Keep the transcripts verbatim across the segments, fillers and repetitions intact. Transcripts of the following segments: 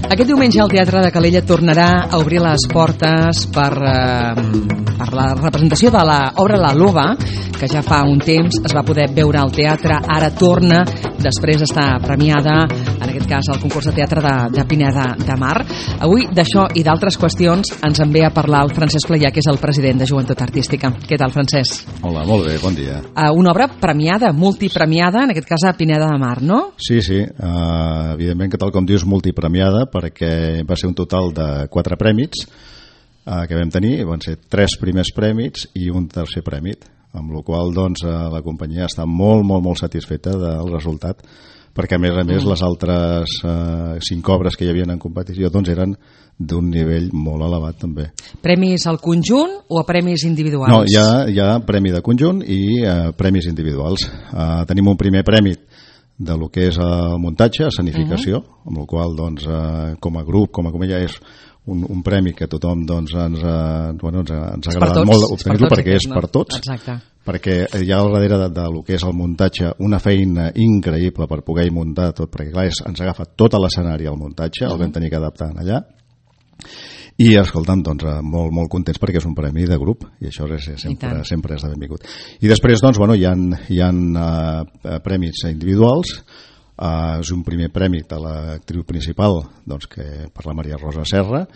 Aquest diumenge el Teatre de Calella tornarà a obrir les portes per, eh, per la representació de l'obra La Loba, que ja fa un temps es va poder veure al teatre, ara torna després d'estar premiada, en aquest cas al concurs de teatre de, de Pineda de Mar. Avui d'això i d'altres qüestions ens en ve a parlar el Francesc Playà, que és el president de Joventut Artística. Què tal, Francesc? Hola, molt bé, bon dia. Uh, una obra premiada, multipremiada, en aquest cas a Pineda de Mar, no? Sí, sí, uh, evidentment que tal com dius, multipremiada, perquè va ser un total de quatre prèmits uh, que vam tenir, van ser tres primers prèmits i un tercer prèmit, amb la qual doncs, uh, la companyia està molt, molt, molt satisfeta del resultat, perquè a més a més mm. les altres uh, cinc obres que hi havia en competició doncs eren d'un nivell molt elevat també. Premis al conjunt o a premis individuals? No, hi ha, hi ha premi de conjunt i uh, premis individuals. Uh, tenim un primer premi de lo que és el muntatge, escenificació, uh-huh. amb la qual doncs, eh, com a grup, com a comèdia, és un, un premi que tothom doncs, ens, eh, bueno, ens, ens ha agradat molt obtenir-lo perquè és per tots. Exacte. Perquè hi ha al darrere de, de lo que és el muntatge una feina increïble per poder muntar tot, perquè clar, és, ens agafa tot l'escenari al muntatge, uh-huh. el vam tenir que adaptar allà. I escolta'm, doncs, molt, molt contents perquè és un premi de grup i això és, sempre, sempre és de benvingut. I després doncs, bueno, hi ha, hi ha uh, premis individuals. Uh, és un primer premi de l'actriu principal, doncs, que per la Maria Rosa Serra.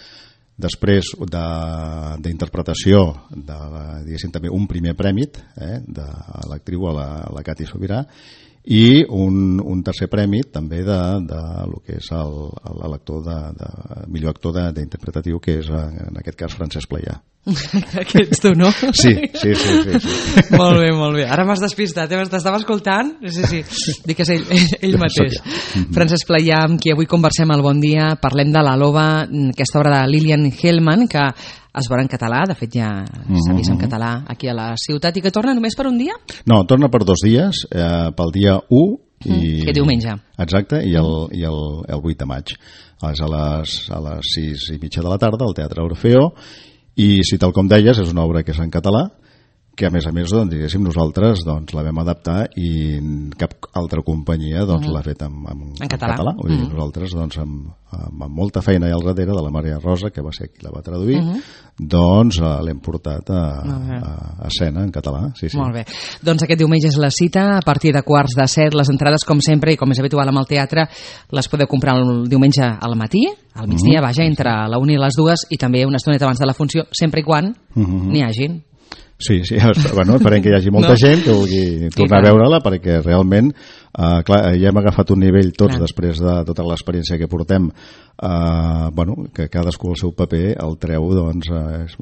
Després d'interpretació de, diguéssim, també un primer premi eh, de l'actriu a la, a la Cati Sobirà, i un, un tercer premi també de, de lo que és el, l'actor de, de millor actor d'interpretatiu, que és en aquest cas Francesc Playà. Que ets tu, no? Sí, sí, sí, sí, sí. Molt bé, molt bé. Ara m'has despistat, eh? T'estava escoltant? Sí, sí, dic que és ell, ell, ell mateix. Francesc Playà, amb qui avui conversem al Bon Dia, parlem de La Loba, aquesta obra de Lilian Hellman, que es veurà en català, de fet ja s'ha vist en català aquí a la ciutat, i que torna només per un dia? No, torna per dos dies, eh, pel dia u i... Mm, que diumenge. Exacte, i el, i el, el vuit de maig. És a les, a les sis i mitja de la tarda al Teatre Orfeo, i si tal com deies, és una obra que és en català, que a més a més, doncs, diguéssim, nosaltres doncs, la vam adaptar i cap altra companyia doncs, mm. l'ha fet en, en, en català. català. Vull dir, mm. nosaltres, doncs, amb, amb, amb molta feina allà al darrere de la Maria Rosa, que va ser qui la va traduir, mm -hmm. doncs uh, l'hem portat a, a, a escena en català. Sí, sí. Molt bé. Doncs aquest diumenge és la cita, a partir de quarts de set. Les entrades, com sempre, i com és habitual amb el teatre, les podeu comprar el diumenge al matí, al migdia, mm -hmm. vaja, entre la una i les dues, i també una estoneta abans de la funció, sempre i quan mm -hmm. n'hi hagin. Sí, sí, bueno, esperem que hi hagi molta no. gent que vulgui tornar a veure-la, perquè realment, eh, clar, ja hem agafat un nivell tots clar. Després de tota l'experiència que portem, eh, bueno, que cadascú el seu paper el treu, doncs, eh, és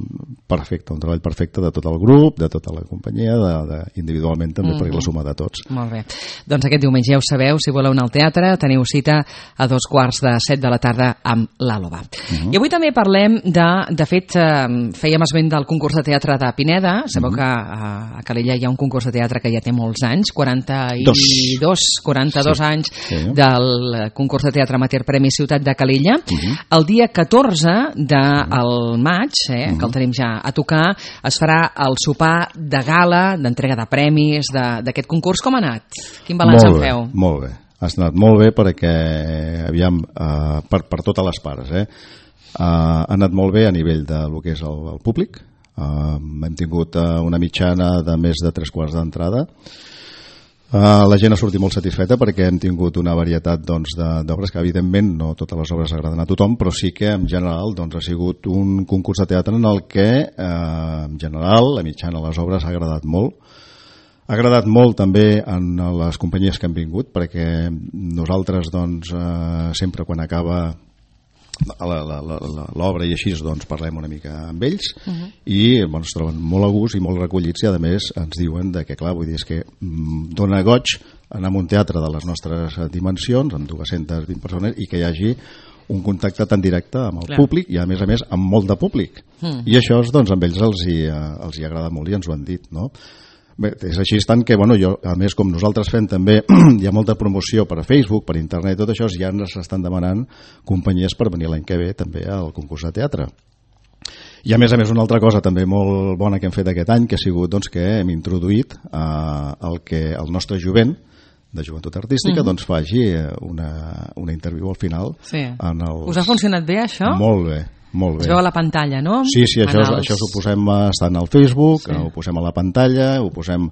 perfecte, un treball perfecte de tot el grup, de tota la companyia, de, de, individualment també, mm-hmm. perquè la suma de tots. Molt bé. Doncs aquest diumenge ja ho sabeu, si voleu anar al teatre, teniu cita a dos quarts de set de la tarda amb La Loba. Mm-hmm. I avui també parlem de, de fet, eh, fèiem esment del concurs de teatre de Pineda. Sabeu mm-hmm. que a, a Calella hi ha un concurs de teatre que ja té molts anys, quaranta-dos, quaranta-dos sí. anys sí. del concurs de teatre amateur Premi Ciutat de Calella. Uh-huh. El dia catorze del maig, eh, uh-huh. que el tenim ja a tocar, es farà el sopar de gala, d'entrega de premis d'aquest concurs. Com ha anat? Quin balanç en feu? Molt bé, ha anat molt bé perquè, aviam, uh, per, per totes les parts, eh, uh, ha anat molt bé a nivell de lo que és el, el públic. Uh, hem tingut uh, una mitjana de més de tres quarts d'entrada. Uh, la gent ha sortit molt satisfeta perquè hem tingut una varietat doncs, d'obres que evidentment no totes les obres agraden a tothom, però sí que en general doncs, ha sigut un concurs de teatre en el que uh, en general la mitjana de les obres ha agradat molt. Ha agradat molt també en les companyies que han vingut, perquè nosaltres doncs, uh, sempre quan acaba l'obra i així doncs parlem una mica amb ells uh-huh. i bueno, es troben molt a gust i molt recollits, i a més ens diuen de que clar, vull dir, és que mm, dona goig anar a un teatre de les nostres dimensions amb dues-centes vint persones i que hi hagi un contacte tan directe amb el clar. Públic i a més a més amb molt de públic uh-huh. i això doncs amb ells els hi, els hi agrada molt i ens ho han dit, no? Bé, és així tant que, bueno, jo, a més, com nosaltres fem també, hi ha molta promoció per a Facebook, per internet, tot això, ja ens estan demanant companyies per venir l'any que ve també al concurs de teatre. I a més a més una altra cosa també molt bona que hem fet aquest any, que ha sigut doncs, que hem introduït eh, el, que, el nostre jovent de Joventut Artística, mm-hmm. doncs faci una, una interviu al final. Sí. En els... Us ha funcionat bé, això? Molt bé. Molt bé. Es veu a la pantalla, no? Sí, sí, això, els... això ho posem estant al Facebook, sí. Ho posem a la pantalla, ho posem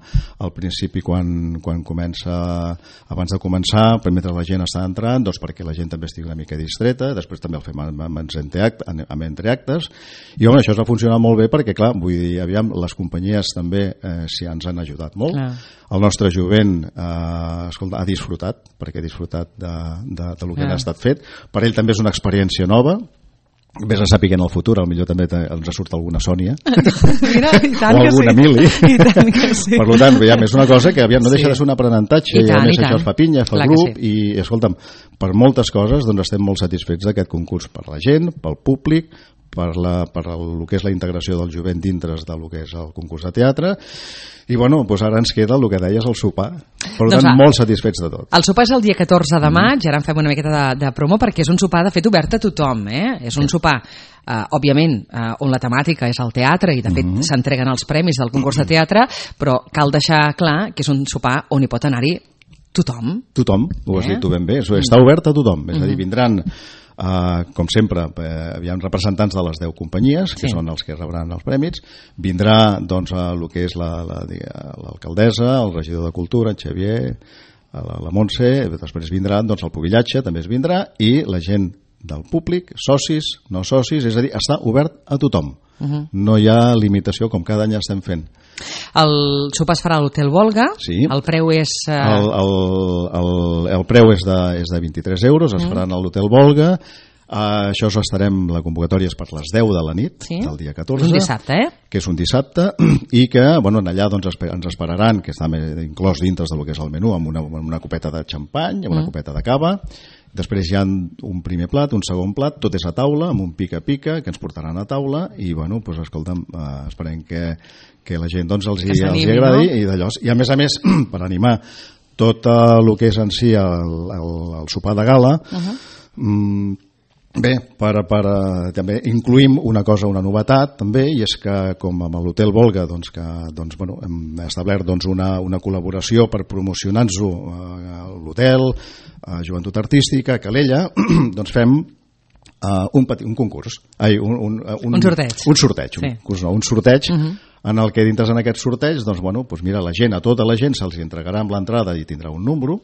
al principi quan, quan comença, abans de començar, per mentre la gent està entrant, doncs perquè la gent també estigui una mica distreta, després també el fem amb, amb, amb entreactes, i home, això es va funcionar molt bé perquè, clar, vull dir, aviam, les companyies també eh, s'hi ens han ajudat molt. Clar. El nostre jovent eh, escolta, ha disfrutat, perquè ha disfrutat de, de, de lo que ha estat fet. Per ell també és una experiència nova. Vés a saber que en el futur potser també ens surt alguna Sònia Mira, i tant o alguna sí. Mili. I tant que sí. Per tant, ja, és una cosa que aviam, no deixa sí. de ser un aprenentatge i, i a més això es fa pinya, fa Clar grup sí. i escolta'm, per moltes coses doncs estem molt satisfets d'aquest concurs per la gent, pel públic, per, la, per el que és la integració del jovent dintre del que és el concurs de teatre. I bueno, doncs ara ens queda el que deies, el sopar. Per tant, doncs, molt satisfets de tot. El sopar és el dia catorze de maig, mm. ara en fem una miqueta de, de promo, perquè és un sopar de fet obert a tothom, eh? És un sopar, eh, òbviament, eh, on la temàtica és el teatre, i de fet mm. s'entreguen els premis del concurs de teatre, però cal deixar clar que és un sopar on hi pot anar-hi tothom. Tothom, ho has eh? dit tu ben bé, està obert a tothom, és a dir, vindran... Uh, com sempre, eh, hi ha representants de les deu companyies, que sí. són els que rebran els premis. Vindrà doncs, el que és l'alcaldessa, la, la, el regidor de Cultura, en Xavier, la, la Montse, després vindrà doncs, el Pubillatge, també es vindrà, i la gent del públic, socis, no socis, és a dir, està obert a tothom. Uh-huh. No hi ha limitació, com cada any estem fent. El sopar es farà a l'Hotel Volga, sí. El preu és... Uh... El, el, el, el preu és de, és de vint-i-tres euros, es uh-huh. faran a l'Hotel Volga. Uh, això estarem, la convocatòria és per les deu de la nit, sí. del dia catorze. Un dissabte, eh? Que és un dissabte, i que, bueno, allà doncs, ens esperaran, que està inclòs dintre del que és el menú, amb una, amb una copeta de xampany, amb una mm. copeta de cava. Després hi ha un primer plat, un segon plat, tot és a taula, amb un pica-pica, que ens portaran a taula, i, bueno, doncs, escolta'm, uh, esperem que, que la gent doncs, els, hi, els hi agradi, no? i d'allò. I, a més a més, per animar tot el que és en si el, el, el sopar de gala, uh-huh. um, bé, per, per, també incluïm una cosa, una novetat també, i és que com amb l'Hotel Volga doncs, que, doncs, bueno, hem establert doncs, una, una col·laboració per promocionar-nos-ho a l'hotel, a Joventut Artística, a Calella, doncs fem uh, un, petit, un concurs, ai, un, un, un, un sorteig, un, sorteig, sí. un, concurs, no, un sorteig uh-huh. en el que dintre en aquest sorteig, doncs, bueno, doncs mira, la gent, a tota la gent se'ls entregarà amb l'entrada i tindrà un número,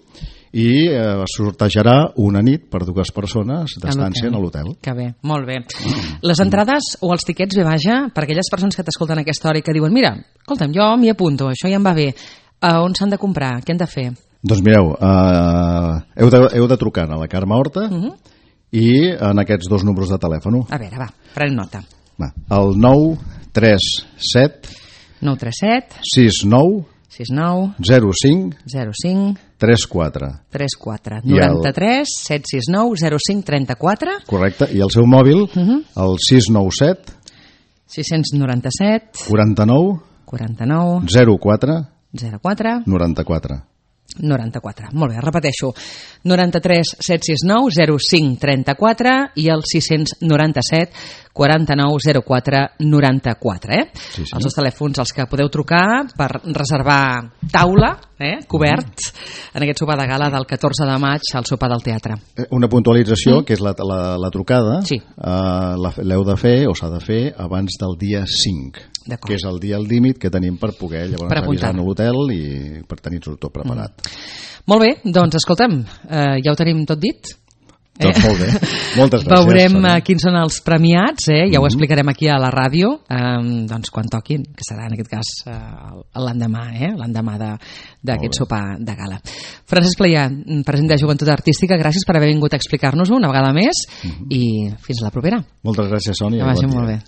i eh, sortejarà una nit per dues persones d'estància a l'hotel. Que bé, molt bé. Les entrades o els tiquets, bé, vaja, per aquelles persones que t'escolten a aquesta hora i que diuen, mira, escolta'm, jo m'hi apunto, això ja em va bé, uh, on s'han de comprar, què han de fer? Doncs mireu, uh, heu, de, heu de trucar a la Carme Horta uh-huh. i en aquests dos números de telèfon. A veure, va, pren nota. Va, el nou tres set nou tres set sis nou sis nou zero cinc zero cinc tres quatre tres quatre noranta-tres set sis nou zero cinc trenta-quatre. Correcte, i el seu mòbil uh-huh. el sis nou set sis nou set quaranta-nou quaranta-nou zero quatre zero quatre noranta-quatre. noranta-quatre, molt bé, repeteixo noranta-tres set sis nou zero cinc trenta-quatre i el sis nou set quaranta-nou zero quatre noranta-quatre, eh? Sí, sí. Els dos telèfons als que podeu trucar per reservar taula, eh? Cobert mm. en aquest sopar de gala del catorze de maig al sopar del teatre. Una puntualització, mm. que és la, la, la trucada, sí. uh, l'heu de fer o s'ha de fer abans del dia cinc, que és el dia límit que tenim per poder llavors per avisar a l'hotel i per tenir-ho tot preparat. Mm. Molt bé, doncs escolta'm, eh, ja ho tenim tot dit? Doncs molt bé, moltes gràcies. Veurem uh, quins són els premiats, eh? Ja mm-hmm. ho explicarem aquí a la ràdio, um, doncs quan toquin, que serà en aquest cas uh, l'endemà, eh? l'endemà d'aquest sopar de gala. Francesc Playà, president de Joventut Artística, gràcies per haver vingut a explicar-nos-ho una vegada més mm-hmm. i fins a la propera. Moltes gràcies, Sònia. Que vagi molt bé.